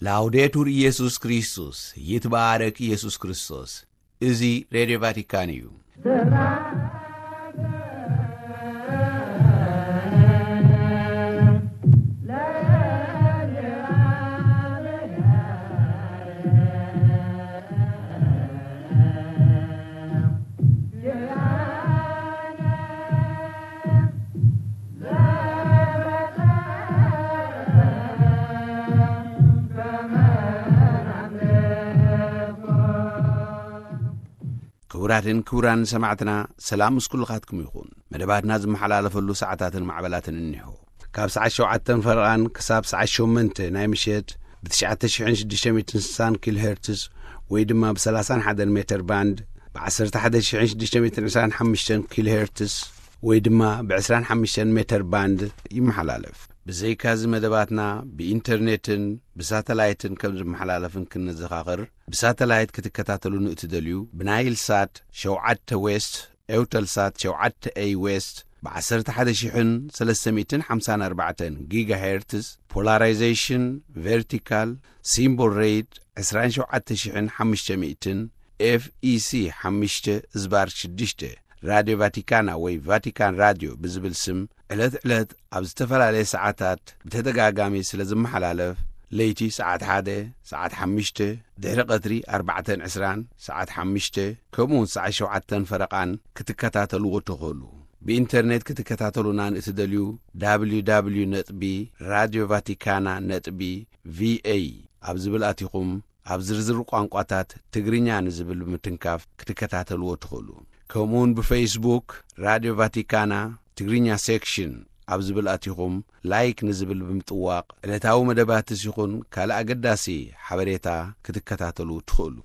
ላውዴቱር ኢየሱስ ክርስቶስ፣ ይትባረክ ኢየሱስ ክርስቶስ። እዚ ሬድዮ ቫቲካን እዩ። ክቡራትን ክቡራን ሰማዕትና፣ ሰላም ምስ ኩልኻትኩም ይኹን። መደባትና ዝመሓላለፈሉ ሰዓታትን ማዕበላትን እኒሆ። ካብ ሰዓት ሸውዓተን ፈረቓን ክሳብ ሰዓት ሸሞንተ ናይ ምሸት ብ ትሽዓተ ሽሕን ሽዱሽተ ሚእትን ስሳን ኪሎ ሄርትስ ወይ ድማ ብ ሰላሳን ሓደን ሜተር ባንድ፣ ብ ዓሰርተ ሓደ ሽሕን ሽዱሽተ ሚእትን ዕስራን ሓሙሽተን ኪሎ ሄርትስ ወይ ድማ ብ ዕስራን ሓሙሽተን ሜተር ባንድ ይመሓላለፍ። ብዘይካዚ መደባትና ብኢንተርኔትን ብሳተላይትን ከም ዝመሓላለፍን ክንዘኻኽር፣ ብሳተላይት ክትከታተሉ ንእትደልዩ፣ ብናይል ሳት ሸውዓተ ዌስት፣ ኤውተል ሳት ሸውዓተ ኤይ ዌስት፣ ብ ዓሰርተ ሓደ ሽሕን ሰለስተ ሚእትን ሓምሳን ኣርባዕተን ጊጋ ሄርትስ፣ ፖላራይዜሽን ቨርቲካል፣ ሲምቦል ሬት ዕስራን ሸውዓተ ሽሕን ሓሙሽተ ሚእትን፣ ኤፍ ኢ ሲ ሓሙሽተ ዝባር ሽዱሽተ፣ ራድዮ ቫቲካና ወይ ቫቲካን ራድዮ ብዝብል ስም ዕለት ዕለት ኣብ ዝተፈላለየ ሰዓታት ብተደጋጋሚ ስለ ዝመሓላለፍ፣ ለይቲ ሰዓት ሓደ፣ ሰዓት ሓሙሽተ፣ ድሕሪ ቀትሪ ኣርባዕተን ዕስራን፣ ሰዓት ሓሙሽተ፣ ከምኡውን ሰዓት ሸውዓተን ፈረቓን ክትከታተልዎ ትኽእሉ። ብኢንተርኔት ክትከታተሉና ንእትደልዩ፣ ደብሊው ደብሊው ደብሊው ነጥቢ ራድዮ ቫቲካና ነጥቢ ቪ ኤ ኣብ ዝብል ኣቲኹም ኣብ ዝርዝር ቋንቋታት ትግርኛ ንዝብል ብምትንካፍ ክትከታተልዎ ትኽእሉ። ከምኡውን ብፌስቡክ ራድዮ ቫቲካና ትግርኛ ሴክሽን ኣብ ዝብል ኣቲኹም ላይክ ንዝብል ብምጥዋቕ ዕለታዊ መደባትስ ይኹን ካልእ ኣገዳሲ ሓበሬታ ክትከታተሉ ትኽእሉ።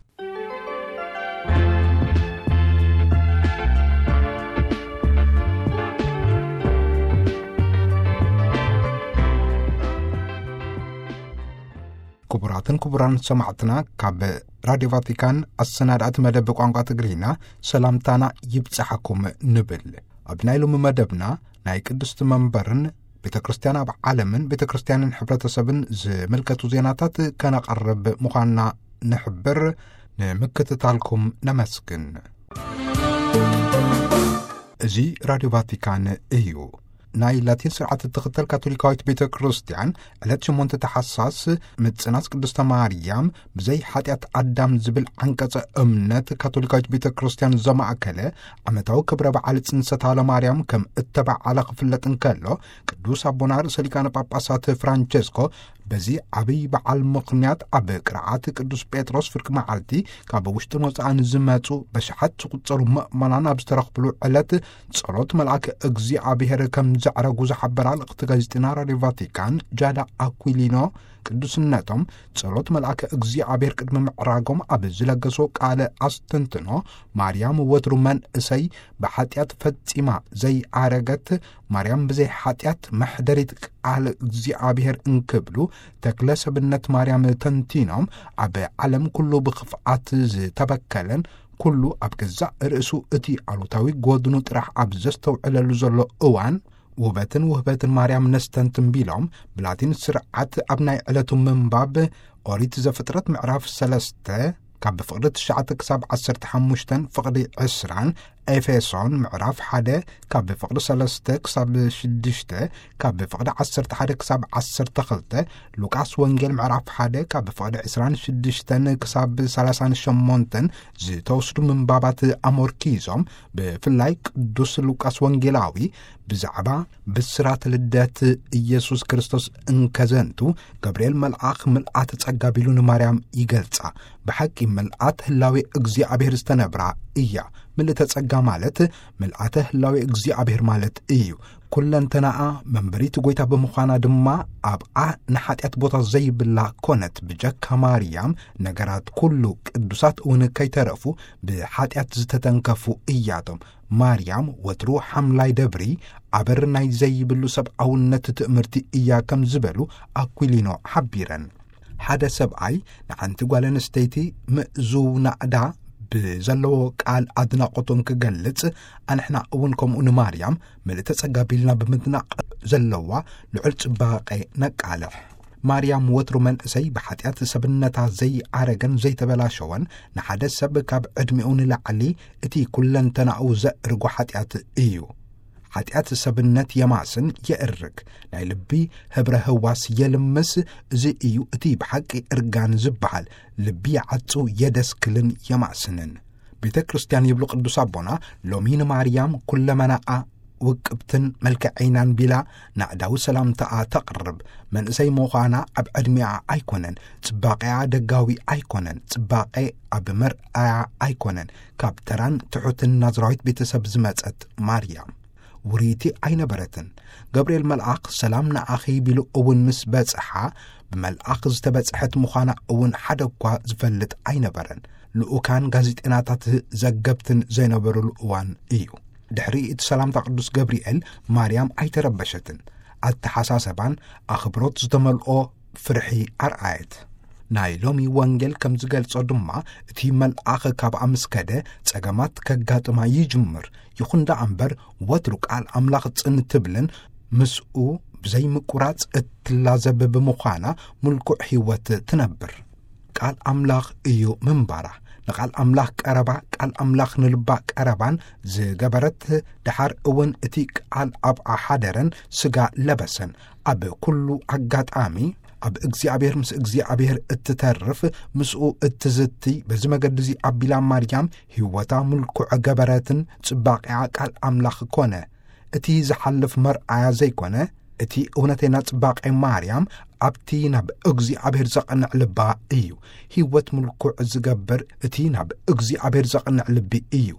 ክቡራትን ክቡራን ሰማዕትና፣ ካብ ራድዮ ቫቲካን ኣሰናዳእቲ መደብ ቋንቋ ትግርኛ ሰላምታና ይብጽሓኩም ንብል። ኣብ ናይ ሎሚ መደብና ናይ ቅድስቲ መንበርን ቤተ ክርስቲያን ኣብ ዓለምን ቤተ ክርስቲያንን ሕብረተሰብን ዝምልከቱ ዜናታት ከነቐርብ ምዃንና ንሕብር። ንምክትታልኩም ነመስግን። እዚ ራድዮ ቫቲካን እዩ። ናይ ላቲን ስርዓት እትኽተል ካቶሊካዊት ቤተ ክርስቲያን ዕለት ሸሞንተ ተሓሳስ ምጽናስ ቅድስተ ማርያም ብዘይ ሓጢኣት ኣዳም ዝብል ዓንቀጸ እምነት ካቶሊካዊት ቤተ ክርስቲያን ዘማእከለ ዓመታዊ ክብረ በዓል ጽንሰታ ለማርያም ከም እተበዓለ ክፍለጥ እንከሎ፣ ቅዱስ ኣቦና ርእሰ ሊቃነ ጳጳሳት ፍራንቸስኮ በዚ ዓብዪ በዓል ምኽንያት ኣብ ቅርዓት ቅዱስ ጴጥሮስ ፍርቂ መዓልቲ ካብ ውሽጥን ወጻእን ዝመጹ በሽሓት ዝቑጸሩ ምእመናን ኣብ ዝተረኽብሉ ዕለት ጸሎት መልኣክ እግዚኣብሔር ከም ዘዕረጉ ዝሓበራ ልእኽቲ ጋዜጠና ራድዮ ቫቲካን ጃዳ ኣኩሊኖ፣ ቅዱስነቶም ጸሎት መልኣክ እግዚኣብሔር ቅድሚ ምዕራጎም ኣብ ዝለገሶ ቃለ ኣስተንትኖ፣ ማርያም ወትሩ መንእሰይ ብሓጢኣት ፈጺማ ዘይኣረገት፣ ማርያም ብዘይ ሓጢኣት መሕደሪት ቃል እግዚኣብሔር እንክብሉ፣ ተክለ ሰብነት ማርያም ተንቲኖም፣ ኣብ ዓለም ኩሉ ብኽፍኣት ዝተበከለን ኩሉ ኣብ ገዛእ ርእሱ እቲ ኣሉታዊ ጎድኑ ጥራሕ ኣብ ዘስተውዕለሉ ዘሎ እዋን፣ ውበትን ውህበትን ማርያም ነስተንትን ቢሎም፣ ብላቲን ስርዓት ኣብ ናይ ዕለቱ ምንባብ ኦሪት ዘፍጥረት ምዕራፍ ሰለስተ ካብ ፍቕዲ ትሽዓተ ክሳብ ዓሰርተ ሓሙሽተ፣ ፍቕዲ ዕስራን፣ ኤፌሶን ምዕራፍ ሓደ ካብ ፍቕዲ ሰለስተ ክሳብ ሽዱሽተ፣ ካብ ፍቕዲ ዓሰርተ ሓደ ክሳብ ዓሰርተ ክልተ፣ ሉቃስ ወንጌል ምዕራፍ ሓደ ካብ ፍቕዲ ዕስራን ሽዱሽተን ክሳብ ሰላሳን ሸሞንተን ዝተወስዱ ምንባባት ኣመርኪዞም፣ ብፍላይ ቅዱስ ሉቃስ ወንጌላዊ ብዛዕባ ብስራት ልደት ኢየሱስ ክርስቶስ እንከዘንቱ፣ ገብርኤል መልኣኽ ምልኣተ ጸጋ ቢሉ ንማርያም ይገልጻ። ብሓቂ ምልኣት ህላዌ እግዚኣብሔር ዝተነብራ እያ። ምልእተ ጸጋ ማለት ምልኣተ ህላዌ እግዚኣብሔር ማለት እዩ። ኩለንተናኣ መንበሪት ጐይታ ብምዃና ድማ ኣብኣ ንሓጢኣት ቦታ ዘይብላ ኮነት። ብጀካ ማርያም ነገራት ኩሉ ቅዱሳት እውን ከይተረፉ ብሓጢኣት ዝተተንከፉ እያቶም። ማርያም ወትሩ ሓምላይ ደብሪ፣ ኣበር ናይ ዘይብሉ ሰብኣውነት ትእምርቲ እያ ከም ዝበሉ ኣኩሊኖ ሓቢረን። ሓደ ሰብኣይ ንሓንቲ ጓል ኣንስተይቲ ምእዙው ናእዳ ብዘለዎ ቃል ኣድናቖቱ እንክገልጽ፣ ኣንሕና እውን ከምኡ ንማርያም ምልእተ ጸጋ ቢልና ብምድናቕ ዘለዋ ልዑል ጽባቐ ነቃልሕ። ማርያም ወትሩ መንእሰይ ብሓጢኣት ሰብነታ ዘይኣረገን ዘይተበላሸወን፣ ንሓደ ሰብ ካብ ዕድሜኡ ንላዕሊ እቲ ኩለንተናኡ ዘእርጎ ሓጢኣት እዩ። ሓጢኣት ሰብነት የማስን የእርግ፣ ናይ ልቢ ህብረ ህዋስ የልምስ። እዚ እዩ እቲ ብሓቂ እርጋን ዝበሃል። ልቢ ይዓጹ የደስክልን የማስንን። ቤተ ክርስቲያን ይብሉ ቅዱስ ኣቦና፣ ሎሚ ንማርያም ኩለመናኣ ውቅብትን መልክዐይናን ቢላ ናዕዳዊ ሰላምታኣ ተቕርብ። መንእሰይ ምዃና ኣብ ዕድሜኣ ኣይኮነን፣ ጽባቐኣ ደጋዊ ኣይኮነን፣ ጽባቐ ኣብ መርኣያ ኣይኮነን። ካብ ተራን ትሑትን ናዝራዊት ቤተሰብ ዝመጸት ማርያም ውርይቲ ኣይነበረትን። ገብርኤል መልኣኽ ሰላም ንኣኺ ቢሉ እውን ምስ በጽሓ፣ ብመልኣኽ ዝተበጽሐት ምዃና እውን ሓደ እኳ ዝፈልጥ ኣይነበረን። ልኡካን ጋዜጠናታት ዘገብትን ዘይነበሩሉ እዋን እዩ። ድሕሪ እቲ ሰላምታ ቅዱስ ገብርኤል ማርያም ኣይተረበሸትን። ኣተሓሳሰባን ኣኽብሮት ዝተመልኦ ፍርሒ ኣርኣየት። ናይ ሎሚ ወንጌል ከም ዝገልጾ ድማ፣ እቲ መልኣኽ ካብኣ ምስ ከደ ጸገማት ከጋጥማ ይጅምር። ይኹን ደኣ እምበር፣ ወትሩ ቃል ኣምላኽ ጽን ትብልን ምስኡ ብዘይምቁራጽ እትላዘብ ብምዃና፣ ምልኩዕ ህይወት ትነብር። ቃል ኣምላኽ እዩ ምንባራ። ንቃል ኣምላኽ ቀረባ፣ ቃል ኣምላኽ ንልባ ቀረባን ዝገበረት፣ ደሓር እውን እቲ ቃል ኣብኣ ሓደረን ስጋ ለበሰን። ኣብ ኩሉ ኣጋጣሚ ኣብ እግዚኣብሔር፣ ምስ እግዚኣብሔር እትተርፍ፣ ምስኡ እትዝቲ፣ በዚ መገዲ እዚ ኣቢላ ማርያም ህይወታ ምልኩዕ ገበረትን ጽባቐኣ ቃል ኣምላኽ ኮነ። እቲ ዝሓልፍ መርኣያ ዘይኮነ፣ እቲ እውነተኛ ጽባቐ ማርያም ኣብቲ ናብ እግዚኣብሔር ዘቕንዕ ልባ እዩ። ህይወት ምልኩዕ ዝገብር እቲ ናብ እግዚኣብሔር ዘቕንዕ ልቢ እዩ።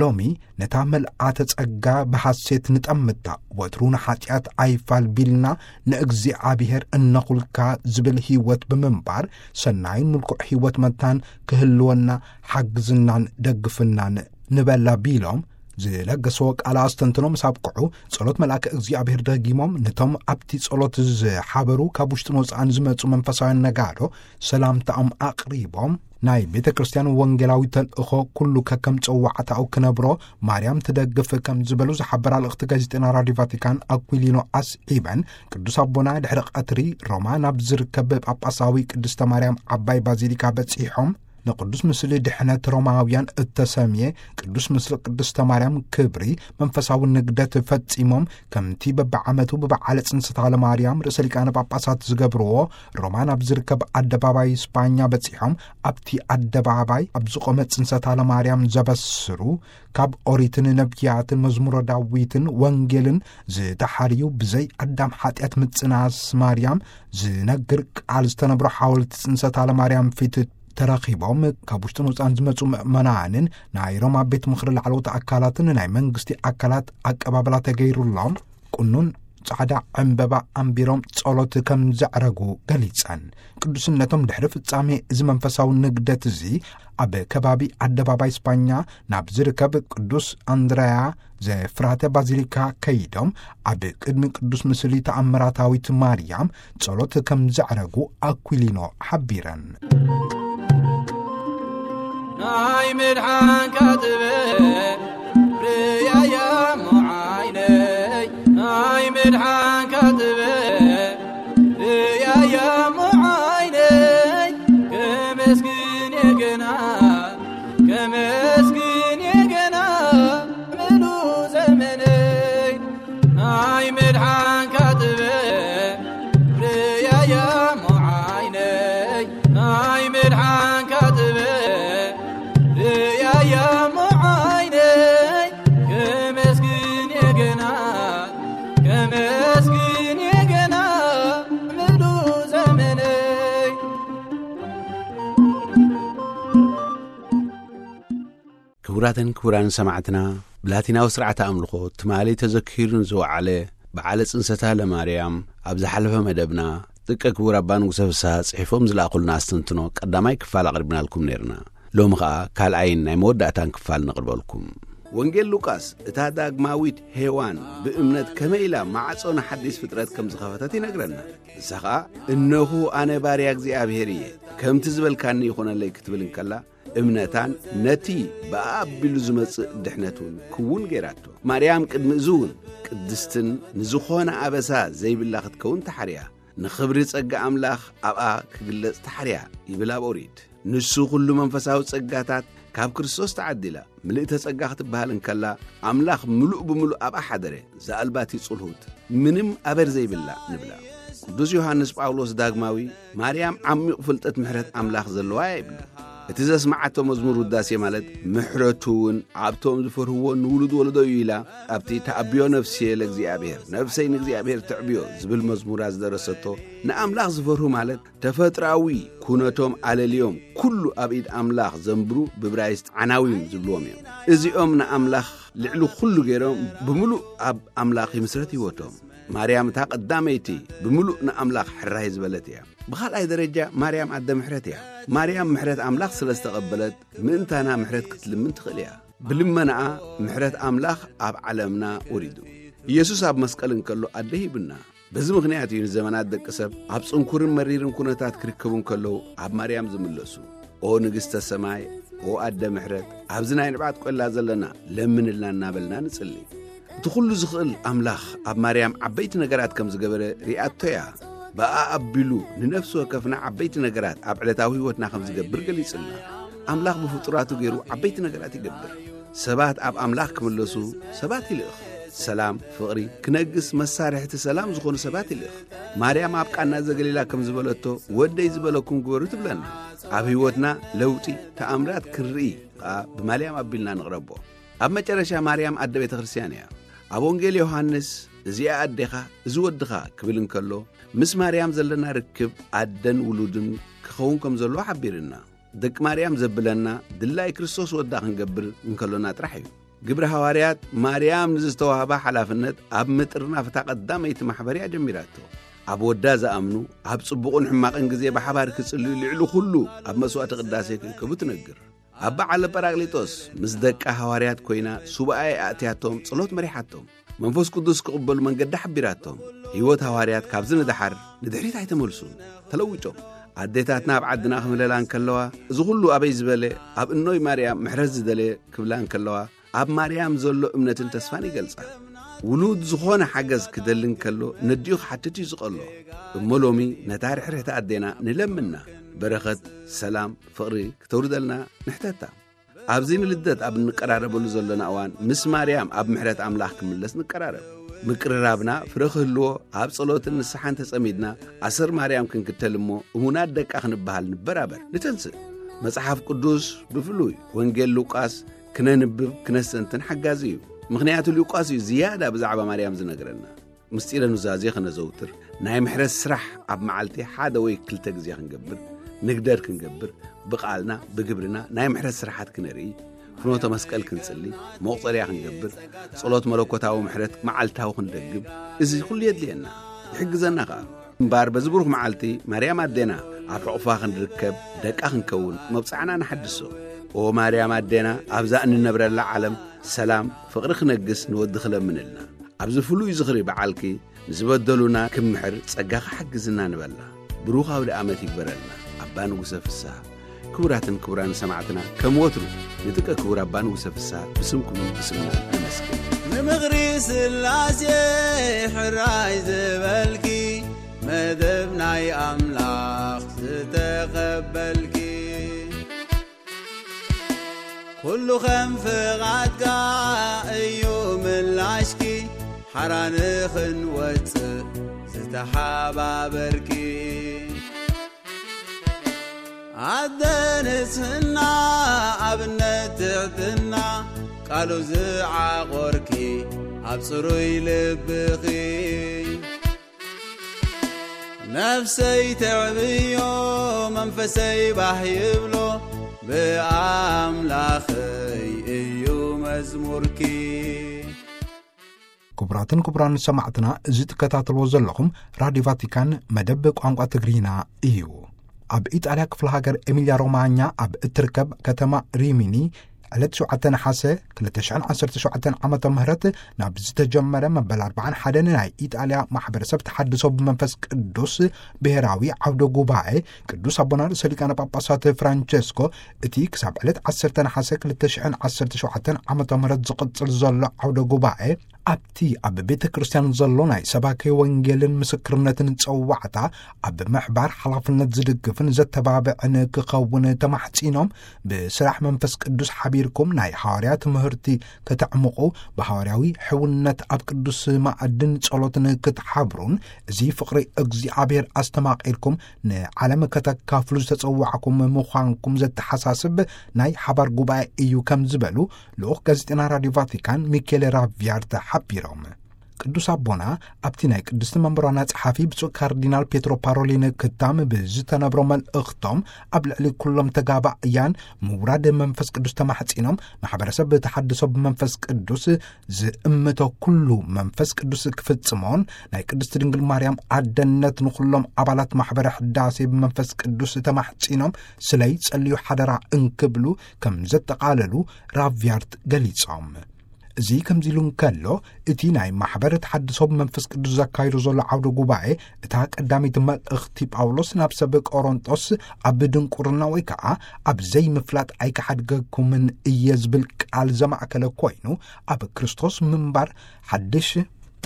ሎሚ ነታ መልኣተ ጸጋ ብሓሴት ንጠምታ፣ ወትሩ ንሓጢኣት ኣይፋል ቢልና ንእግዚኣብሔር እነኹልካ ዝብል ህይወት ብምንባር፣ ሰናይን ምልኩዕ ህይወት መታን ክህልወና ሓግዝናን ደግፍናን ንበላ ቢሎም ዝለገስዎ ቃል ኣስተንትኖ ምስ ኣብቅዑ፣ ጸሎት መልኣከ እግዚኣብሔር ደጊሞም፣ ነቶም ኣብቲ ጸሎት ዝሓበሩ ካብ ውሽጥን ወጻእን ዝመጹ መንፈሳውያን ነጋዶ ሰላምታኦም ኣቕሪቦም፣ ናይ ቤተ ክርስቲያን ወንጌላዊ ተልእኾ ኩሉ ከከም ጸዋዕታኡ ክነብሮ ማርያም ትደግፍ ከም ዝበሉ ዝሓበራ ልእኽቲ ጋዜጠና ራድዮ ቫቲካን ኣኩሊኖ ኣስዒበን፣ ቅዱስ ኣቦና ድሕሪ ቀትሪ ሮማ ናብ ዝርከብ ጳጳሳዊ ቅድስተ ማርያም ዓባይ ባዚሊካ በጺሖም፣ ንቅዱስ ምስሊ ድሕነት ሮማውያን እተሰምየ ቅዱስ ምስሊ ቅድስተ ማርያም ክብሪ መንፈሳዊ ንግደት ፈጺሞም፣ ከምቲ በብዓመቱ ብበዓለ ጽንሰታ ለማርያም ርእሰ ሊቃነ ጳጳሳት ዝገብርዎ፣ ሮማ ናብ ዝርከብ ኣደባባይ ስጳኛ በጺሖም፣ ኣብቲ ኣደባባይ ኣብ ዝቖመ ጽንሰታ ለማርያም ዘበስሩ፣ ካብ ኦሪትን ነቢያትን መዝሙረ ዳዊትን ወንጌልን ዝተሓርዩ ብዘይ ኣዳም ሓጢኣት ምጽናስ ማርያም ዝነግር ቃል ዝተነብሮ ሓወልቲ ጽንሰታ ለማርያም ፊት ተረኺቦም፣ ካብ ውሽጥን ወጻእን ዝመጹ ምእመናንን ናይ ሮማ ቤት ምኽሪ ላዕለዎት ኣካላትን ናይ መንግስቲ ኣካላት ኣቀባብላ ተገይሩሎም፣ ቁኑን ጻዕዳ ዕምበባ ኣንቢሮም ጸሎት ከም ዘዕረጉ ገሊጸን። ቅዱስነቶም ድሕሪ ፍጻሜ እዚ መንፈሳዊ ንግደት እዚ ኣብ ከባቢ ኣደባባይ ስጳኛ ናብ ዝርከብ ቅዱስ ኣንድረያ ዘፍራተ ባዚሊካ ከይዶም፣ ኣብ ቅድሚ ቅዱስ ምስሊ ተኣምራታዊት ማርያም ጸሎት ከም ዘዕረጉ ኣኩሊኖ ሓቢረን። ናይ ምድሓንካ ጥበብ ርያያ እሞ ዓይነይ፣ ናይ ምድሓንካ ጥበብ ርያያ እሞ ዓይነይ፣ ከመስግን እየ ገና፣ ከመስግን እየ ገና ምሉእ ዘመነይ። ናይ ምድሓንካ ጥበብ ርያያ እሞ ዓይነይ፣ ናይ ምድሓንካ ጥበብ ርያያ እሞ ዓይነይ፣ ከመስግን እየ ገና፣ ከመስግን እየ ገና ምሉእ ዘመነይ። ክቡራትን ክቡራን ሰማዕትና፣ ብላቲናዊ ስርዓተ ኣምልኾ ትማሊ ተዘኪሩ ንዝወዓለ በዓለ ጽንሰታ ለማርያም ኣብ ዝሓለፈ መደብና፣ ጥቀ ክቡር ኣባ ንጉሰ ፍስሃ ጽሒፎም ዝለኣኹልና ኣስተንትኖ ቀዳማይ ክፋል ኣቕሪብናልኩም ነይርና። ሎሚ ኸኣ ካልኣይን ናይ መወዳእታን ክፋል ነቕርበልኩም። ወንጌል ሉቃስ እታ ዳግማዊት ሄዋን ብእምነት ከመይ ኢላ ማዕጾ ንሓዲስ ፍጥረት ከም ዝኸፈተት ይነግረና። ንሳ ኸኣ፣ "እነሆ ኣነ ባርያ እግዚኣብሔር እየ፣ ከምቲ ዝበልካኒ ይኹነለይ" ክትብል እንከላ፣ እምነታን ነቲ ብኣቢሉ ዝመጽእ ድሕነት እውን ክውን ገይራቶ። ማርያም ቅድሚ እዚ እውን ቅድስትን ንዝኾነ ኣበሳ ዘይብላ ክትከውን ተሓርያ። ንኽብሪ ጸጋ ኣምላኽ ኣብኣ ክግለጽ ተሓርያ ይብል ኣብ ኦሪት። ንሱ ኩሉ መንፈሳዊ ጸጋታት ካብ ክርስቶስ ተዓዲላ ምልእተ ጸጋ ክትበሃል እንከላ፣ ኣምላኽ ምሉእ ብምሉእ ኣብኣ ሓደረ፣ ዘኣልባቲ ጽልሁት፣ ምንም ኣበር ዘይብላ ንብላ። ቅዱስ ዮሃንስ ጳውሎስ ዳግማዊ፣ ማርያም ዓሚቕ ፍልጠት ምሕረት ኣምላኽ ዘለዋ እያ ይብል። እቲ ዘስመዓቶ መዝሙር ውዳሴ ማለት፣ ምሕረቱ እውን ኣብቶም ዝፈርህዎ ንውሉድ ወለዶ እዩ ኢላ፣ ኣብቲ ተኣብዮ ነፍስየ ለእግዚኣብሔር፣ ነፍሰይ ንእግዚኣብሔር ተዕብዮ ዝብል መዝሙራ ዝደረሰቶ፣ ንኣምላኽ ዝፈርሁ ማለት ተፈጥራዊ ኩነቶም ኣለልዮም ኩሉ ኣብ ኢድ ኣምላኽ ዘንብሩ ብብራይስጥ ዓናዊም ዝብልዎም እዮም። እዚኦም ንኣምላኽ ልዕሊ ኩሉ ገይሮም ብምሉእ ኣብ ኣምላኽ ይምስረት ህይወቶም። ማርያም እታ ቀዳመይቲ ብምሉእ ንኣምላኽ ሕራይ ዝበለት እያ። ብኻልኣይ ደረጃ ማርያም ኣደ ምሕረት እያ። ማርያም ምሕረት ኣምላኽ ስለ ዝተቐበለት ምእንታና ምሕረት ክትልምን ትኽእል እያ። ብልመናኣ ምሕረት ኣምላኽ ኣብ ዓለምና ወሪዱ። ኢየሱስ ኣብ መስቀል እንከሎ ኣደ ሂብና። በዚ ምኽንያት እዩ ንዘመናት ደቂ ሰብ ኣብ ጽንኩርን መሪርን ኩነታት ክርከቡ እንከለዉ ኣብ ማርያም ዝምለሱ። ኦ ንግሥተ ሰማይ፣ ኦ ኣደ ምሕረት፣ ኣብዚ ናይ ንብዓት ቆላ ዘለና ለምንልና እናበልና ንጽሊ። እቲ ኩሉ ዝኽእል ኣምላኽ ኣብ ማርያም ዓበይቲ ነገራት ከም ዝገበረ ሪኣቶ እያ። ብኣ ኣቢሉ ንነፍሲ ወከፍና ዓበይቲ ነገራት ኣብ ዕለታዊ ህይወትና ከም ዝገብር ገሊጽልና። ኣምላኽ ብፍጡራቱ ገይሩ ዓበይቲ ነገራት ይገብር። ሰባት ኣብ ኣምላኽ ክምለሱ ሰባት ይልእኽ። ሰላም፣ ፍቕሪ ክነግስ መሳርሕቲ ሰላም ዝኾኑ ሰባት ይልእኽ። ማርያም ኣብ ቃና ዘገሊላ ከም ዝበለቶ፣ "ወደይ ዝበለኩም ግበሩ" ትብለና። ኣብ ህይወትና ለውጢ ተኣምራት ክንርኢ ከኣ ብማርያም ኣቢልና ንቕረቦ። ኣብ መጨረሻ ማርያም ኣደ ቤተ ክርስቲያን እያ። ኣብ ወንጌል ዮሃንስ፣ "እዚኣ ኣዴኻ፣ እዚ ወድኻ" ክብል እንከሎ፣ ምስ ማርያም ዘለና ርክብ ኣደን ውሉድን ክኸውን ከም ዘለዎ ሓቢርና። ደቂ ማርያም ዘብለና ድላይ ክርስቶስ ወዳ ክንገብር እንከሎና ጥራሕ እዩ። ግብረ ሃዋርያት ማርያም ንዝተዋህባ ሓላፍነት ኣብ ምጥርናፍ እታ ቀዳመይቲ ማሕበር እያ ጀሚራቶ። ኣብ ወዳ ዝኣምኑ ኣብ ጽቡቕን ሕማቕን ግዜ ብሓባር ክጽልዩ ልዕሊ ኩሉ ኣብ መስዋዕቲ ቅዳሴ ክእከቡ ትነግር። ኣብ በዓለ ጳራቅሊጦስ ምስ ደቃ ሃዋርያት ኮይና ሱባኤ ኣእትያቶም ጸሎት መሪሓቶም። መንፈስ ቅዱስ ክቕበሉ መንገዲ ሓቢራቶም። ህይወት ሃዋርያት ካብዚ ንደሓር ንድሕሪት ኣይተመልሱን። ተለዊጦም። ኣዴታትና ኣብ ዓድና ክምህለላ እንከለዋ፣ "እዚ ኩሉ ኣበይ ዝበለ ኣብ እኖይ ማርያም ምሕረት ዝደለየ" ክብላ እንከለዋ፣ ኣብ ማርያም ዘሎ እምነትን ተስፋን ይገልጻ። ውሉድ ዝኾነ ሓገዝ ክደሊ እንከሎ ነዲኡ ክሓትት እዩ ዝቐሎ። እሞ ሎሚ ነታ ርሕርሕቲ ኣዴና ንለምና። በረኸት፣ ሰላም፣ ፍቕሪ ክተውርደልና ንሕተታ። ኣብዚ ንልደት ኣብ እንቀራረበሉ ዘለና እዋን፣ ምስ ማርያም ኣብ ምሕረት ኣምላኽ ክምለስ ንቀራረብ። ምቅርራብና ፍረ ክህልዎ፣ ኣብ ጸሎትን ንስሓን ተጸሚድና፣ ኣሰር ማርያም ክንክተል እሞ፣ እሙናት ደቃ ክንበሃል ንበራበር። ንተንስእ። መጽሓፍ ቅዱስ፣ ብፍሉይ ወንጌል ሉቃስ፣ ክነንብብ፣ ክነስተንትን ሓጋዚ እዩ። ምኽንያቱ ሉቃስ እዩ ዝያዳ ብዛዕባ ማርያም ዝነግረና። ምስጢረ ኑዛዜ ኸነዘውትር፣ ናይ ምሕረት ስራሕ ኣብ መዓልቲ ሓደ ወይ ክልተ ግዜ ክንገብር፣ ንግደር ክንገብር፣ ብቓልና፣ ብግብርና ናይ ምሕረት ስራሓት ክነርኢ፣ ፍኖተ መስቀል ክንጽሊ፣ መቑጸርያ ክንገብር፣ ጸሎት መለኮታዊ ምሕረት መዓልታዊ ክንደግም፣ እዚ ኩሉ የድልየና፣ ይሕግዘና ኸኣ። እምበኣር በዚ ብሩኽ መዓልቲ ማርያም ኣዴና ኣብ ሕቑፋ ክንርከብ፣ ደቃ ክንከውን መብጽዓና ንሓድሶ። ኦ ማርያም ኣዴና፣ ኣብዛ እንነብረላ ዓለም ሰላም፣ ፍቕሪ ክነግስ ንወዲ ክለምንልና። ኣብዚ ፍሉይ ዝኽሪ በዓልኪ ንዝበደሉና ክምሕር ጸጋኺ ሓግዝና ንበላ። ብሩኽ ኣውደ ዓመት ይግበረልና። ኣባ ንጉሰ ፍስሃ። ክቡራትን ክቡራን ሰማዕትና፣ ከም ወትሩ ንጥቀ ክቡር ኣባ ንጉሰ ፍስሃ ብስምኩምን ብስምናን ነመስግን። ንምኽሪ ስላሴ ሕራይ ዝበልኪ፣ መደብ ናይ ኣምላኽ ዝተቐበልኪ፣ ኩሉ ከም ፍቓድካ እዩ ምላሽኪ፣ ሓራ ንኽንወጽእ ዝተሓባበርኪ። ኣደ ንጽህና ኣብነት ትሕትና፣ ቃሉ ዝዓቖርኪ ኣብ ጽሩይ ልብኺ። ነፍሰይ ተዕብዮ መንፈሰይ ባህ ይብሎ፣ ብኣምላኸይ እዩ መዝሙርኪ። ክቡራትን ክቡራን ሰማዕትና፣ እዚ ትከታተልዎ ዘለኹም ራዲዮ ቫቲካን መደብ ቋንቋ ትግርኛ እዩ። ኣብ ኢጣልያ ክፍለ ሃገር ኤሚልያ ሮማኛ ኣብ እትርከብ ከተማ ሪሚኒ ዕለት ሸውዓተ ነሓሰ ክልተ ሽሕን ዓሰርተ ሸውዓተን ዓመተ ምህረት ናብ ዝተጀመረ መበል ኣርባዓን ሓደን ናይ ኢጣልያ ማሕበረሰብ ተሓድሶ ብመንፈስ ቅዱስ ብሔራዊ ዓውደ ጉባኤ ቅዱስ ኣቦና ርእሰ ሊቃነ ጳጳሳት ፍራንቸስኮ እቲ ክሳብ ዕለት ዓሰርተ ነሓሰ ክልተ ሽሕን ዓሰርተ ሸውዓተን ዓመተ ምህረት ዝቕጽል ዘሎ ዓውደ ጉባኤ ኣብቲ ኣብ ቤተ ክርስቲያን ዘሎ ናይ ሰባኪ ወንጌልን ምስክርነትን ጸዋዕታ ኣብ ምሕባር ሓላፍነት ዝድግፍን ዘተባብዕን ክኸውን ተማሕጺኖም፣ ብስራሕ መንፈስ ቅዱስ ሓቢርኩም ናይ ሃዋርያ ትምህርቲ ከተዕምቑ፣ ብሃዋርያዊ ሕውነት ኣብ ቅዱስ ማዕድን ጸሎትን ክትሓብሩን፣ እዚ ፍቕሪ እግዚኣብሔር ኣስተማቒርኩም ንዓለም ከተካፍሉ ዝተጸዋዕኩም ምዃንኩም ዘተሓሳስብ ናይ ሓባር ጉባኤ እዩ ከም ዝበሉ ልኡኽ ጋዜጠና ራዲዮ ቫቲካን ሚኬለ ራቪያርተ ሓቢሮም። ቅዱስ ኣቦና ኣብቲ ናይ ቅድስቲ መንበርና ጸሓፊ ብፁዕ ካርዲናል ፔትሮ ፓሮሊን ክታም ብዝተነብሮ መልእኽቶም፣ ኣብ ልዕሊ ኩሎም ተጋባእያን ምውራድ መንፈስ ቅዱስ ተማሕጺኖም፣ ማሕበረሰብ ተሓድሶ ብመንፈስ ቅዱስ ዝእምቶ ኩሉ መንፈስ ቅዱስ ክፍጽሞን ናይ ቅድስቲ ድንግል ማርያም ኣደነት ንኹሎም ኣባላት ማሕበረ ሕዳሴ ብመንፈስ ቅዱስ ተማሕጺኖም ስለይ ጸልዩ ሓደራ እንክብሉ ከም ዘጠቓለሉ ራቪያርት ገሊጾም። እዚ ከምዚ ኢሉ እንከሎ፣ እቲ ናይ ማሕበር ተሓድሶ ብመንፈስ ቅዱስ ዘካይዶ ዘሎ ዓውደ ጉባኤ፣ እታ ቀዳመይቲ መልእኽቲ ጳውሎስ ናብ ሰብ ቆሮንጦስ፣ ኣብ ድንቁርና ወይ ከዓ ኣብ ዘይምፍላጥ ኣይክሓድገኩምን እየ ዝብል ቃል ዘማእከለ ኮይኑ፣ ኣብ ክርስቶስ ምንባር ሓድሽ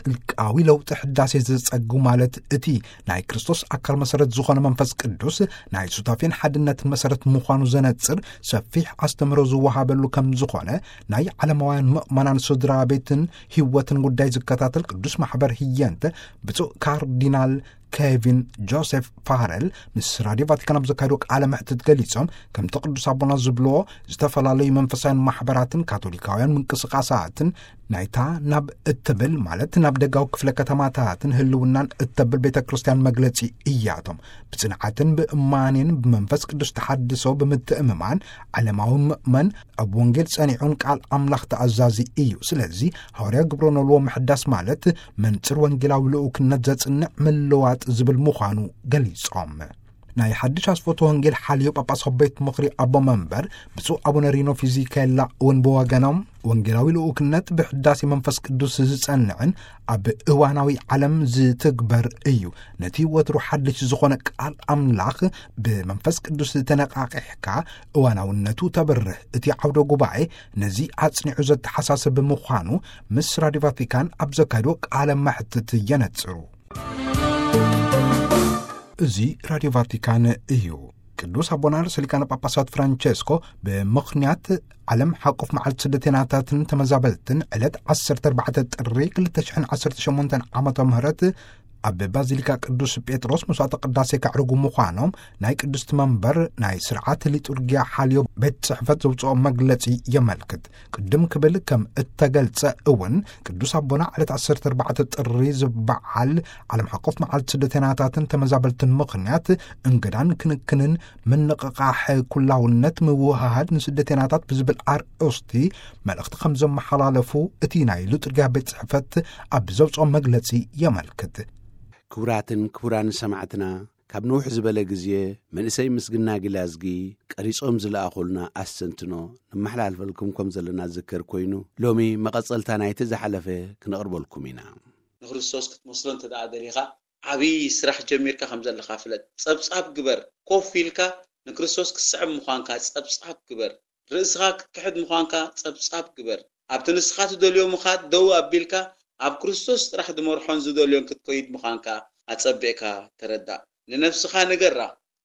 ጥልቃዊ ለውጢ ሕዳሴ ዘጸጉ፣ ማለት እቲ ናይ ክርስቶስ ኣካል መሰረት ዝኾነ መንፈስ ቅዱስ ናይ ሱታፌን ሓድነትን መሰረት ምዃኑ ዘነጽር ሰፊሕ ኣስተምህሮ ዝወሃበሉ ከም ዝኾነ ናይ ዓለማውያን ምእመናን ስድራ ቤትን ህይወትን ጉዳይ ዝከታተል ቅዱስ ማሕበር ህየንተ ብፁዕ ካርዲናል ኬቪን ጆሴፍ ፋረል ምስ ራድዮ ቫቲካን ኣብ ዘካየዶ ቃለ መሕትት ገሊጾም፣ ከምቲ ቅዱስ ኣቦና ዝብልዎ፣ ዝተፈላለዩ መንፈሳውያን ማሕበራትን ካቶሊካውያን ምንቅስቃሳትን ናይታ ናብ እትብል፣ ማለት ናብ ደጋዊ ክፍለ ከተማታትን ህልውናን እተብል ቤተ ክርስቲያን መግለጺ እያቶም። ብጽንዓትን ብእማኔን ብመንፈስ ቅዱስ ተሓድሶ ብምትእምማን፣ ዓለማዊ ምእመን ኣብ ወንጌል ጸኒዑን ቃል ኣምላኽ ተኣዛዚ እዩ። ስለዚ ሃዋርያ ግብረ ኖልዎ ምሕዳስ ማለት መንጽር ወንጌላዊ ልኡክነት ዘጽንዕ ምልዋጥ ዝብል ምዃኑ ገሊጾም። ናይ ሓድሽ ኣስፈቶ ወንጌል ሓልዮ ጳጳስ ቤት ምኽሪ ኣቦ መንበር ብፁዕ ኣቡነ ሪኖ ፊዚካላ እውን ብወገኖም፣ ወንጌላዊ ልኡክነት ብሕዳሴ መንፈስ ቅዱስ ዝጸንዕን ኣብ እዋናዊ ዓለም ዝትግበር እዩ። ነቲ ወትሩ ሓድሽ ዝኾነ ቃል ኣምላኽ ብመንፈስ ቅዱስ ተነቃቂሕካ እዋናውነቱ ተብርህ። እቲ ዓውደ ጉባኤ ነዚ ኣጽኒዑ ዘተሓሳስብ ምዃኑ ምስ ራድዮ ቫቲካን ኣብ ዘካየዶ ቃለ መሕትት የነጽሩ። እዚ ራድዮ ቫቲካን እዩ። ቅዱስ ኣቦና ርእሰ ሊቃነ ጳጳሳት ፍራንቸስኮ ብምኽንያት ዓለም ሓቆፍ መዓልቲ ስደተኛታትን ተመዛበልትን ዕለት ዓሰርተ ኣርባዕተ ጥሪ ክልተ ሽሕን ዓሰርተ ሸሞንተን ዓመተ ምህረት ኣብ ባዚሊካ ቅዱስ ጴጥሮስ መስዋዕተ ቅዳሴ ከዕርጉ ምዃኖም ናይ ቅድስቲ መንበር ናይ ስርዓት ሊጡርጊያ ሓልዮ ቤት ጽሕፈት ዘውፅኦ መግለጺ የመልክት። ቅድም ክብል ከም እተገልጸ እውን፣ ቅዱስ ኣቦና ዕለት ዓሰርተ ኣርባዕተ ጥሪ ዝበዓል ዓለም ሓቆፍ መዓልቲ ስደተኛታትን ተመዛበልትን ምኽንያት እንግዳን ክንክንን ምንቕቓሕ ኩላውነት ምውህሃድ ንስደተኛታት ብዝብል ኣርእስቲ መልእኽቲ ከም ዘመሓላለፉ እቲ ናይ ሉጥርጊያ ቤት ጽሕፈት ኣብ ዘውፅኦ መግለጺ የመልክት። ክቡራትን ክቡራን ሰማዕትና፣ ካብ ነውሕ ዝበለ ግዜ መንእሰይ ምስግና ግላዝጊ ቀሪጾም ዝለኣኹልና ኣስተንትኖ ነመሓላልፈልኩም ከም ዘለና ዝዝከር ኮይኑ፣ ሎሚ መቐጸልታ ናይቲ ዝሓለፈ ክነቕርበልኩም ኢና። ንክርስቶስ ክትመስሎ እንተ ደኣ ደሊኻ፣ ዓብዪ ስራሕ ጀሚርካ ከም ዘለኻ ፍለጥ። ጸብጻብ ግበር። ኮፍ ኢልካ ንክርስቶስ ክትስዕም ምዃንካ ጸብጻብ ግበር። ርእስኻ ክትክሕድ ምዃንካ ጸብጻብ ግበር። ኣብቲ ንስኻ ትደልዮ ምኻድ ደው ኣቢልካ፣ ኣብ ክርስቶስ ጥራሕ ዝመርሖን ዝደልዮን ክትከይድ ምዃንካ ኣጸቢቕካ ተረዳእ። ንነፍስኻ ንገራ።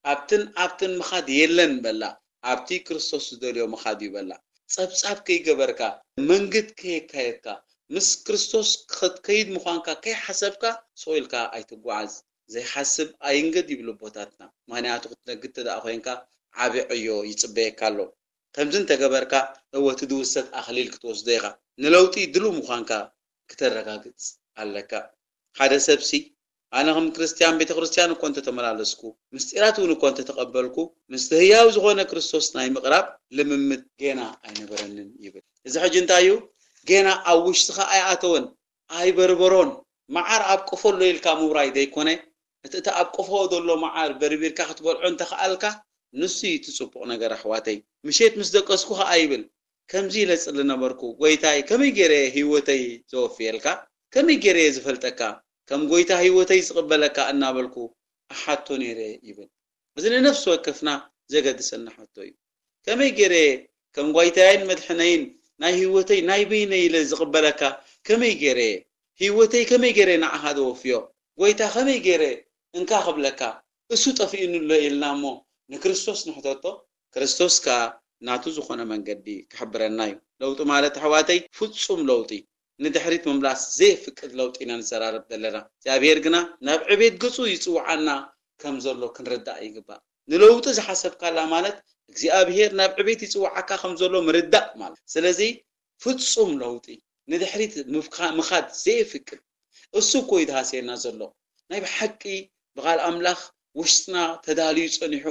ኣብትን ኣብትን ምኻድ የለን በላ፣ ኣብቲ ክርስቶስ ዝደልዮ ምኻድ እዩ በላ። ጸብጻብ ከይገበርካ፣ መንግድ ከየካየድካ፣ ምስ ክርስቶስ ክትከይድ ምዃንካ ከይሓሰብካ፣ ስቕ ኢልካ ኣይትጓዓዝ። ዘይሓስብ ኣይንገድ ይብሉ ኣቦታትና። ምኽንያቱ ክትነግድ እንተ ደኣ ኮይንካ፣ ዓቢ ዕዮ ይጽበየካ ኣሎ። ከምዚ እንተገበርካ፣ እወ፣ እቲ ዝውሰድ ኣኽሊል ክትወስዶ ኢኻ። ንለውጢ ድሉው ምዃንካ ክተረጋግጽ ኣለካ። ሓደ ሰብሲ፣ ኣነ ከም ክርስትያን ቤተ ክርስትያን እኮ እንተተመላለስኩ፣ ምስጢራት እውን እኮ እንተተቐበልኩ፣ ምስቲ ህያው ዝኾነ ክርስቶስ ናይ ምቕራብ ልምምድ ጌና ኣይነበረንን ይብል። እዚ ሕጂ እንታይ እዩ? ጌና ኣብ ውሽጥኻ ኣይኣተወን፣ ኣይበርበሮን። መዓር ኣብ ቆፎ ኣሎ ኢልካ ምውራይ ዘይኮነ፣ እቲ፣ እቲ ኣብ ቆፎ ዘሎ መዓር በርቢርካ ክትበልዖ እንተኸኣልካ፣ ንሱ እዩ እቲ ጽቡቕ ነገር ኣሕዋተይ። ምሸት ምስ ደቀስኩ ኸኣ ይብል፣ ከምዚ ኢለ ጽሊ ነበርኩ፣ ጎይታይ፣ ከመይ ገይረ እየ ህይወተይ ዘወፍየልካ? ከመይ ገይረ እየ ዝፈልጠካ? ከም ጎይታ ህይወተይ ዝቕበለካ እናበልኩ እሓቶ ነይረ ይብል። እዚ ንነፍሲ ወከፍና ዘገድሰና ሕቶ እዩ። ከመይ ገይረ እየ ከም ጓይታየን መድሕነይን ናይ ህይወተይ ናይ በይነይ ኢለ ዝቕበለካ? ከመይ ገይረ፣ ህይወተይ ከመይ ገይረ ንዓኻ ዘወፍዮ? ጎይታ ከመይ ገይረ እንካ ክብለካ? እሱ ጠፊእኑ ኣሎ ኢልና እሞ ንክርስቶስ ንሕተቶ፣ ክርስቶስ ከኣ ናቱ ዝኾነ መንገዲ ክሕብረና እዩ። ለውጢ ማለት ኣሕዋተይ ፍጹም ለውጢ፣ ንድሕሪት ምምላስ ዘየፍቅድ ለውጢ ኢና ንዘራረብ ዘለና። እግዚኣብሔር ግና ናብ ዕቤት ገጹ ይጽውዓና ከም ዘሎ ክንርዳእ ይግባእ። ንለውጢ ዝሓሰብካላ ማለት እግዚኣብሔር ናብ ዕቤት ይጽውዓካ ከም ዘሎ ምርዳእ ማለት። ስለዚ ፍጹም ለውጢ፣ ንድሕሪት ምፍካ- ምኻድ ዘየፍቅድ፣ እሱ እኮ እዩ ዝሃስየና ዘሎ። ናይ ብሓቂ ብቓል ኣምላኽ ውሽጥና ተዳልዩ ጸኒሑ፣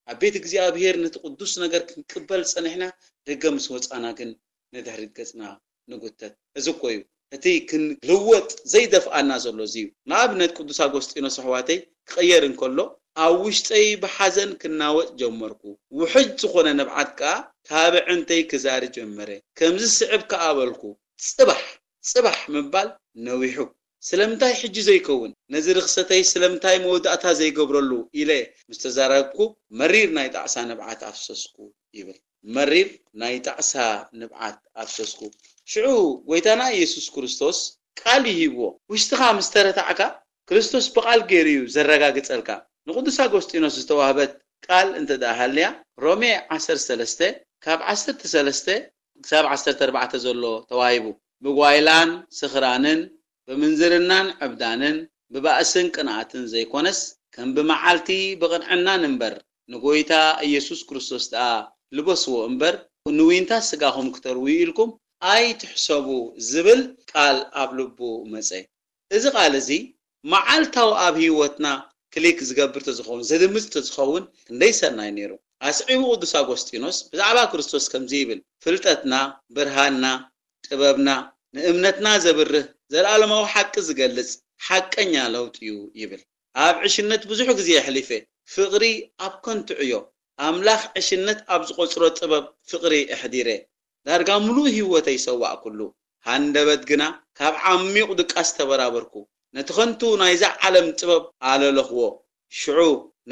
ኣብ ቤት እግዚኣብሔር ነቲ ቅዱስ ነገር ክንቅበል ጸኒሕና፣ ደገ ምስ ወጻና ግን ንድሕሪት ገጽና ንጉተት። እዚ እኮ እዩ እቲ ክንልወጥ ዘይደፍኣና ዘሎ፣ እዚ እዩ። ንኣብነት ቅዱስ ኣጎስጢኖስ ኣሕዋተይ ክቕየር እንከሎ፣ ኣብ ውሽጠይ ብሓዘን ክናወጥ ጀመርኩ። ውሕጅ ዝኾነ ንብዓት ከኣ ካብ ኣዕንተይ ክዛሪ ጀመረ። ከምዚ ስዕብ ከኣ በልኩ፣ ጽባሕ፣ ጽባሕ ምባል ነዊሑ። ስለምንታይ ሕጂ ዘይከውን? ነዚ ርኽሰተይ ስለምንታይ መወዳእታ ዘይገብረሉ? ኢለ ምስ ተዛረብኩ፣ መሪር ናይ ጣዕሳ ንብዓት ኣፍሰስኩ ይብል። መሪር ናይ ጣዕሳ ንብዓት ኣፍሰስኩ። ሽዑ ጎይታና ኢየሱስ ክርስቶስ ቃል ይሂብዎ። ውሽጥኻ ምስ ተረታዕካ፣ ክርስቶስ ብቓል ገይሩ እዩ ዘረጋግጸልካ። ንቅዱስ ኣጎስጢኖስ ዝተዋህበት ቃል እንተ ደኣ ሃልያ፣ ሮሜ ዓሰርተ ሰለስተ ካብ ዓሰርተ ሰለስተ ክሳብ ዓሰርተ ኣርባዕተ ዘሎ ተዋሂቡ። ብጓይላን ስኽራንን፣ ብምንዝርናን ዕብዳንን፣ ብባእስን ቅንኣትን ዘይኮነስ፣ ከም ብመዓልቲ ብቕንዕናን እምበር፣ ንጎይታ ኢየሱስ ክርስቶስ ደኣ ልበስዎ እምበር፣ ንዊንታ ስጋኹም ክተርውዩ ኢልኩም ኣይትሕሰቡ ዝብል ቃል ኣብ ልቡ መጸ። እዚ ቃል እዚ መዓልታዊ ኣብ ህይወትና ክሊክ ዝገብር ተዝኸውን፣ ዘድምጽ ተዝኸውን ክንደይ ሰናይ ነይሩ። ኣስዒቡ ቅዱስ ኣጎስጢኖስ ብዛዕባ ክርስቶስ ከምዚ ይብል፣ "ፍልጠትና፣ ብርሃንና፣ ጥበብና፣ ንእምነትና ዘብርህ፣ ዘለኣለማዊ ሓቂ ዝገልጽ ሓቀኛ ለውጢ እዩ" ይብል። ኣብ ዕሽነት ብዙሕ ግዜ የሕሊፈ፣ ፍቕሪ ኣብ ከንቱ ዕዮ፣ ኣምላኽ ዕሽነት ኣብ ዝቖጽሮ ጥበብ ፍቕሪ ኣሕዲረ። ዳርጋ ምሉእ ህይወተይ ሰዋእኩሉ። ሃንደበት ግና ካብ ዓሚቕ ድቃስ ተበራበርኩ። ነቲ ከንቱ ናይዛ ዓለም ጥበብ ኣለለኽዎ። ሽዑ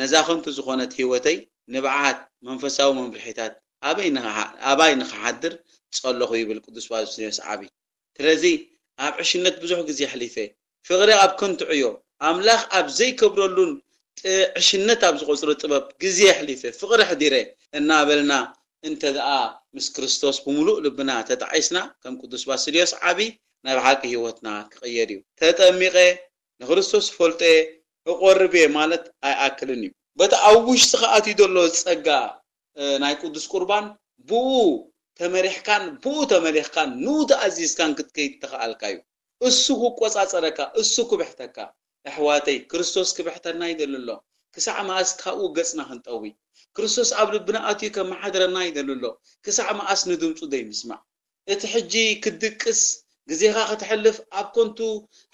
ነዛ ከንቱ ዝኾነት ህይወተይ ንብዓት መንፈሳዊ መምርሒታት ኣበይ ንኸሓ-፣ ኣባይ ንኸሓድር ጸለኹ ይብል ቅዱስ ባስልዮስ ዓቢ። ስለዚ ኣብ ዕሽነት ብዙሕ ግዜ ኣሕሊፈ። ፍቕሪ ኣብ ከንቱ ዕዮ፣ ኣምላኽ ኣብ ዘይከብረሉን ጥ-፣ ዕሽነት ኣብ ዝቖጽሮ ጥበብ ግዜ ኣሕሊፈ፣ ፍቕሪ ኣሕዲረ እናበልና እንተ ደኣ ምስ ክርስቶስ ብምሉእ ልብና ተጣዒስና፣ ከም ቅዱስ ባስልዮስ ዓቢ ናይ ብሓቂ ህይወትና ክቕየር እዩ። ተጠሚቐ፣ ንክርስቶስ ፈልጠ፣ እቖርብ እየ ማለት ኣይኣክልን እዩ። በቲ ኣብ ውሽጥኻ ኣትዩ ዘሎ ጸጋ፣ እ፣ ናይ ቅዱስ ቁርባን ብኡ ተመሪሕካን ብኡ ተመሊኽካን ንኡ ተኣዚዝካን ክትከይድ ተኽኣልካ እዩ። እሱ ክቆጻጸረካ፣ እሱ ክብሕተካ። ኣሕዋተይ፣ ክርስቶስ ክብሕተና ይደሊ ኣሎ። ክሳዕ መኣስ ካብኡ ገጽና ክንጠዊ? ክርስቶስ ኣብ ልብና ኣትዩ ከመሓድረና ይደሊ ኣሎ። ክሳዕ መኣስ ንድምጹ ዘይምስማዕ? እቲ ሕጂ ክትድቅስ፣ ግዜኻ ከተሕልፍ፣ ኣብ ከንቱ፣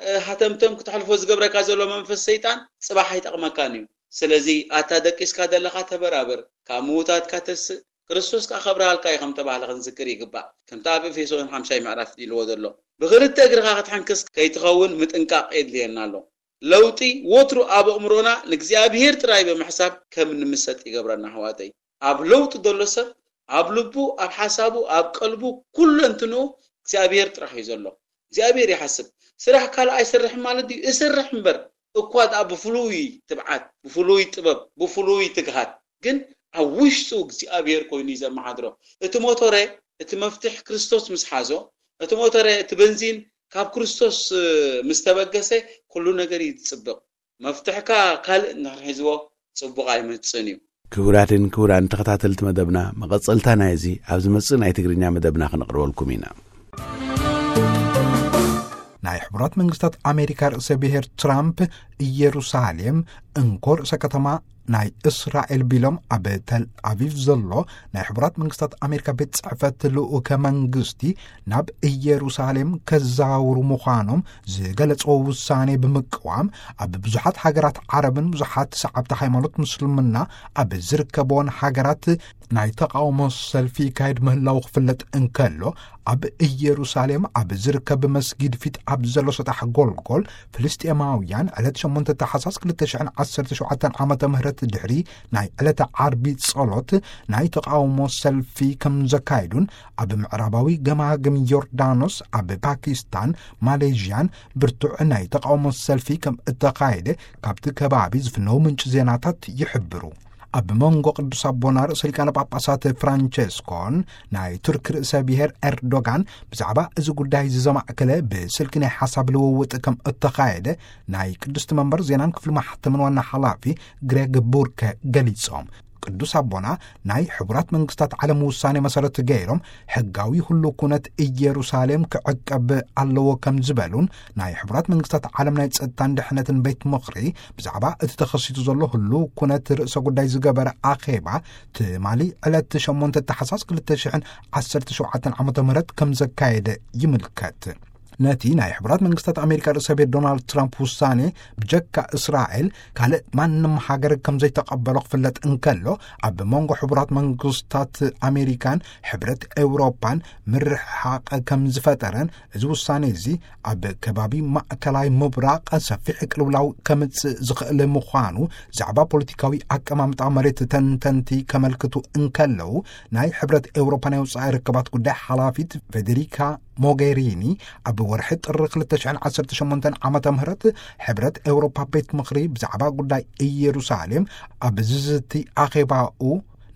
እ፣ ሃተምተም ክተሕልፎ ዝገብረካ ዘሎ መንፈስ ሰይጣን ጽባሕ ኣይጠቕመካን እዩ። ስለዚ ኣታ ደቂስካ ዘለኻ ተበራበር፣ ካብ ምዉታትካ ተስእ፣ ክርስቶስ ከኣ ከብርሃልካ እዩ ከም ተባህለ ክንዝክር ይግባእ። ከምቲ ኣብ ኤፌሶን ሓምሻይ ምዕራፍ ኢልዎ ዘሎ፣ ብኽልተ እግርኻ ክትሕንክስ ከይትኸውን ምጥንቃቕ የድልየና ኣሎ። ለውጢ ወትሩ ኣብ ኣእምሮና ንእግዚኣብሔር ጥራይ ብምሕሳብ ከም ንምሰጥ ይገብረና ኣሕዋተይ። ኣብ ለውጢ ዘሎ ሰብ ኣብ ልቡ፣ ኣብ ሓሳቡ፣ ኣብ ቀልቡ፣ ኩለንትንኡ እግዚኣብሔር ጥራሕ እዩ ዘሎ። እግዚኣብሔር ይሓስብ። ስራሕ ካልእ ኣይሰርሕን ማለት ድዩ? እሰርሕ እምበር፣ እኳ ደኣ ብፍሉይ ትብዓት፣ ብፍሉይ ጥበብ፣ ብፍሉይ ትግሃት፣ ግን ኣብ ውሽጡ እግዚኣብሔር ኮይኑ እዩ ዘመሓድሮ። እቲ ሞቶረ፣ እቲ መፍትሕ ክርስቶስ ምስ ሓዞ፣ እቲ ሞቶረ፣ እቲ በንዚን ካብ ክርስቶስ፣ እ፣ ምስ ተበገሰ፣ ኩሉ ነገር እዩ ዝጽብቕ። መፍትሕካ ካልእ እንድሕር ሒዝዎ፣ ጽቡቕ ኣይመጽእን እዩ። ክቡራትን ክቡራን ተኸታተልቲ መደብና፣ መቐጸልታ ናይዚ ኣብ ዝመጽእ ናይ ትግርኛ መደብና ክነቕርበልኩም ኢና። ናይ ሕቡራት መንግስታት ኣሜሪካ ርእሰ ብሔር ትራምፕ፣ ኢየሩሳሌም እንኮ ርእሰ ከተማ ናይ እስራኤል ቢሎም ኣብ ተል ኣቪቭ ዘሎ ናይ ሕቡራት መንግስታት ኣሜሪካ ቤት ጽሕፈት ልኡከ መንግስቲ ናብ ኢየሩሳሌም ከዘዋውሩ ምዃኖም ዝገለጽዎ ውሳኔ ብምቅዋም፣ ኣብ ብዙሓት ሃገራት ዓረብን ብዙሓት ሰዓብቲ ሃይማኖት ምስልምና ኣብ ዝርከብዎን ሃገራት ናይ ተቃውሞ ሰልፊ ይካየድ ምህላው ክፍለጥ እንከሎ፣ ኣብ ኢየሩሳሌም ኣብ ዝርከብ መስጊድ ፊት ኣብ ዘሎ ሰጣሕ ጎልጎል፣ ፍልስጤማውያን ዕለት ሸሞንተ ታሕሳስ ክልተ ሽሕን ዓሰርተ ሸውዓተን ዓመተ ምህረት ድሕሪ ናይ ዕለተ ዓርቢ ጸሎት ናይ ተቓውሞ ሰልፊ ከም ዘካየዱን፣ ኣብ ምዕራባዊ ገማግም ዮርዳኖስ፣ ኣብ ፓኪስታን፣ ማሌዥያን ብርቱዕ ናይ ተቓውሞ ሰልፊ ከም እተኻየደ ካብቲ ከባቢ ዝፍነው ምንጪ ዜናታት ይሕብሩ። ኣብ መንጎ ቅዱስ ኣቦና ርእሰ ሊቃነ ጳጳሳት ፍራንቸስኮን ናይ ቱርክ ርእሰ ብሔር ኤርዶጋን ብዛዕባ እዚ ጉዳይ እዚ ዘማእከለ ብስልኪ ናይ ሓሳብ ልውውጥ ከም እተኻየደ ናይ ቅድስቲ መንበር ዜናን ክፍሊ ማሕተምን ዋና ሓላፊ ግሬግ ቡርከ ገሊጾም። ቅዱስ ኣቦና ናይ ሕቡራት መንግስታት ዓለም ውሳኔ መሰረት ገይሮም ሕጋዊ ህሉ ኩነት ኢየሩሳሌም ክዕቀብ ኣለዎ ከም ዝበሉን፣ ናይ ሕቡራት መንግስታት ዓለም ናይ ጸጥታን ድሕነትን ቤት ምኽሪ ብዛዕባ እቲ ተኸሲቱ ዘሎ ህሉ ኩነት ርእሰ ጉዳይ ዝገበረ ኣኼባ ትማሊ ዕለት ሸሞንተ ታሕሳስ ክልተ ሽሕን ዓሰርተ ሸውዓተን ዓመተ ምህረት ከም ዘካየደ ይምልከት። ነቲ ናይ ሕቡራት መንግስታት ኣሜሪካ ርእሰ ቤት ዶናልድ ትራምፕ ውሳኔ ብጀካ እስራኤል ካልእ ማንም ሃገር ከም ዘይተቐበሎ ክፍለጥ እንከሎ፣ ኣብ መንጎ ሕቡራት መንግስታት ኣሜሪካን ሕብረት ኤውሮፓን ምርሕሓቕ ከም ዝፈጠረን፣ እዚ ውሳኔ እዚ ኣብ ከባቢ ማእከላይ ምብራቕ ሰፊሕ ቅልውላው ከምጽእ ዝኽእል ምዃኑ ዛዕባ ፖለቲካዊ ኣቀማምጣ መሬት ተንተንቲ ከመልክቱ እንከለዉ፣ ናይ ሕብረት ኤውሮፓ ናይ ወጻኢ ርክባት ጉዳይ ሓላፊት ፌዴሪካ ሞጌሪኒ ኣብ ወርሒ ጥሪ ክልተ ሽሕን ዓሰርተ ሸሞንተን ዓመተ ምህረት ሕብረት ኤውሮፓ ቤት ምኽሪ ብዛዕባ ጉዳይ ኢየሩሳሌም ኣብ ዝዝቲ ኣኼባኡ፣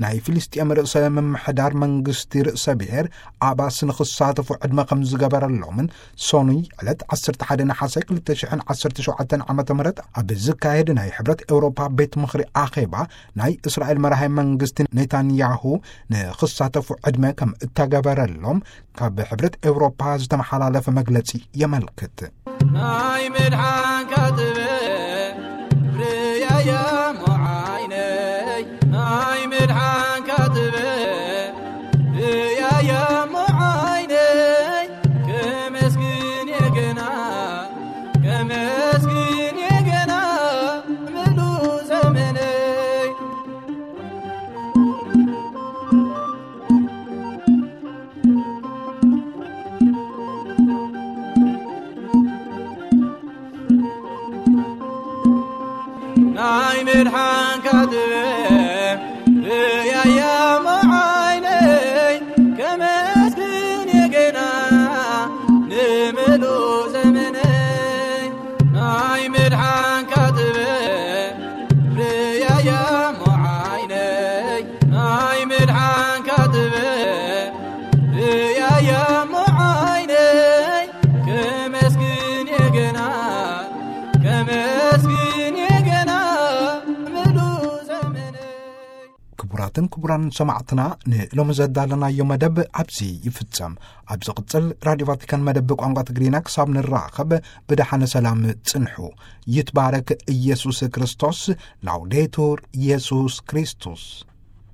ናይ ፍልስጤም ርእሰ ምምሕዳር መንግስቲ ርእሰ ብሔር ኣባስ ንኽሳተፉ ዕድመ ከም ዝገበረሎምን፣ ሶኑይ ዕለት ዓሰርተ ሓደ ነሓሰ ክልተ ሽሕን ዓሰርተ ሸውዓተን ዓመተ ምህረት ኣብ ዝካየድ ናይ ሕብረት ኤውሮፓ ቤት ምኽሪ ኣኼባ ናይ እስራኤል መራሒ መንግስቲ ኔታንያሁ ንኽሳተፉ ዕድመ ከም እተገበረሎም ካብ ሕብረት ኤውሮፓ ዝተመሓላለፈ መግለጺ የመልክት። ናይ ምድሓንካ ጥበብ ርያያ ሞዓይነይ፣ ናይ ምድሓንካ ጥበብ ርያያ ሞዓይነይ፣ ከመስግን የገና፣ ከመስግን የገና ምሉ ዘመነይ። ናይ ምድሓንካ ጥበብ ርያያ ሞዓይነይ፣ ከመስግን የገና ንምሉ ዘመነይ። ናይ ምድሓንካ ጥበብ ርያያ ሞዓይነይ፣ ናይ ምድሓንካ ጥበብ ርያያ ሞዓይነይ፣ ከመስግን የገና፣ ከመስግን የገና ምሉ ዘመነይ። ክቡራትን ክቡራን ሰማዕትና፣ ንሎሚ ዘዳለናዮ መደብ ኣብዚ ይፍጸም። ኣብ ዝቕጽል ራድዮ ቫቲካን መደብ ቋንቋ ትግርኛ ክሳብ ንራኸብ ብደሓነ ሰላም ጽንሑ። ይትባረክ ኢየሱስ ክርስቶስ። ላውዴቱር ኢየሱስ ክርስቶስ።